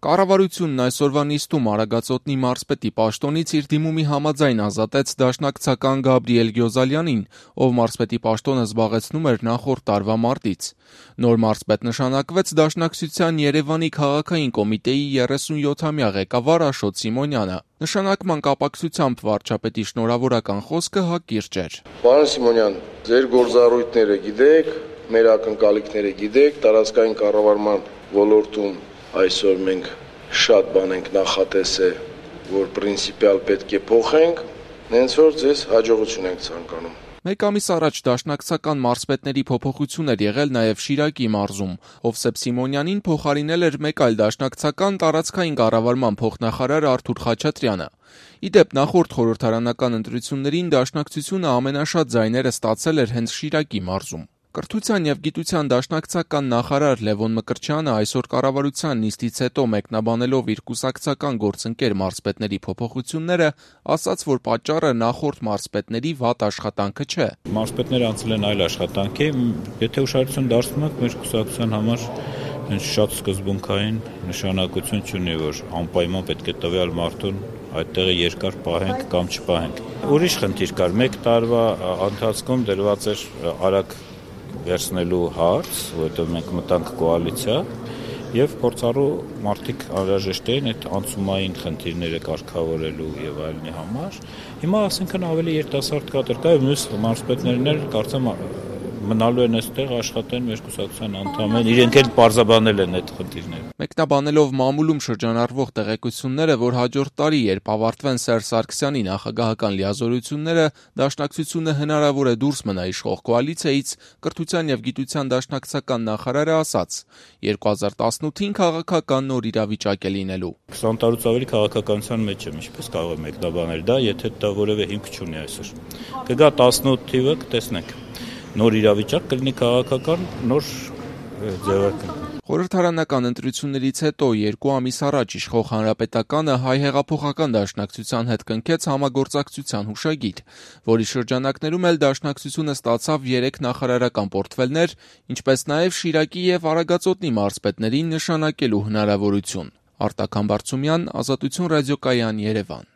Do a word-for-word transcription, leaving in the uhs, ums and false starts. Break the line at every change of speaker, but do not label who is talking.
Կառավարությունն այսօրվա նիստում Արագածոտնի մարզպետի պաշտոնից իր դիմումի համաձայն ազատեց դաշնակցական Գաբրիել Գյոզալյանին, ով մարզպետի պաշտոնը զբաղեցնում էր նախորդ տարվա մարտից։ Նոր մարզպետ նշանակվեց Դաշնակցության Երևանի քաղաքային կոմիտեի երեսունյոթամյա ղեկավար Աշոտ Սիմոնյանը։ Նշանակման կապակցությամբ վարչապետի շնորհավորական խոսքը հակիրճ էր։
Պարոն Սիմոնյան, ձեր գործառույթները գիտեք, մեր ակնկալիքները գիտեք, տարածքային կառավարման ոլորտում այսօր մենք շատ բան ենք նախատեսել, որ պրինցիպիալ պետք է փոխենք, հենց որ ձեզ հաջողություն ենք ցանկանում։
Մեկ ամիս առաջ դաշնակցական մարզպետների փոփոխություն էր եղել նաև Շիրակի մարզում։ Հովսեփ Սիմոնյանին փոխարինել էր մեկ այլ դաշնակցական տարածքային կառավարման փոխնախարար Արթուր Խաչատրյանը։ Ի դեպ, նախորդ խորհրդարանական ընտրություններին Դաշնակցությունը ամենաշատ ձայները ստացել էր հենց Շիրակի մարզում։ Կրթության և գիտության դաշնակցական նախարար Լևոն Մկրտչյանը այսօր կառավարության նիստից հետո մեկնաբանելով իր կուսակցական գործընկեր մարզպետների փոփոխությունները, ասաց, որ պատճառը նախորդ մարզպետների վատ աշխատանքը չէ։
Մարզպետները անցել են այլ աշխատանքի, եթե ուշադրություն դարձնում եք, մեր կուսակցության համար շատ սկզբունքային նշանակություն չունի, որ անպայման պետք է տվյալ մարդուն այդտեղը երկար պահենք կամ չպահենք։ Ուրիշ խնդիր կար, մեկ տարվա ընթացքում դրված էր արագ վերցնելու հարց, որովհետև մենք մտանք կոալիցիա եւ փորձառու մարդիկ անհրաժեշտ էին այդ անցումային խնդիրները կարգավորելու եւ այլնի համար։ Հիմա ասենքն ավելի երիտասարդ կադր կա եւ մյուս մարզպետներն էլ կարծեմ մնալու են այստեղ աշխատեն մեր կուսակցության անդամներ, իրենք էլ պարզաբանել են այդ խնդիրները։
Մեկնաբանելով մամուլում շրջանառվող տեղեկությունները, որ հաջորդ տարի, երբ ավարտվեն Սերժ Սարգսյանի նախագահական լիազորությունները, Դաշնակցությունը հնարավոր է դուրս մնա իշխող կոալիցիայից, Կրթության և գիտության դաշնակցական նախարարը ասաց. երկու հազար տասնութին քաղաքական նոր իրավիճակ է լինելու։
քսան տարուց ավելի քաղաքականության մեջ եմ, ինչպես կարող եմ մեկնաբանել դա, եթե դա որևէ հիմք չունի այսօր։ Կգա տասնութ թիվը, կտեսնենք։ Նոր իրավիճակ կլինի քաղաքական, նոր ձևակերպ։
Խորհրդարանական ընտրություններից հետո երկու ամիս առաջ իշխող Հանրապետականը Հայ հեղափոխական դաշնակցության հետ կնքեց համագործակցության հուշագիր, որի շրջանակներում էլ Դաշնակցությունը ստացավ երեք նախարարական պորտֆելներ, ինչպես նաև Շիրակի և Արագածոտնի մարզպետներին նշանակելու հնարավորություն։ Արտակ Համբարձումյան, Ազատություն ռադիոկայան, Երևան։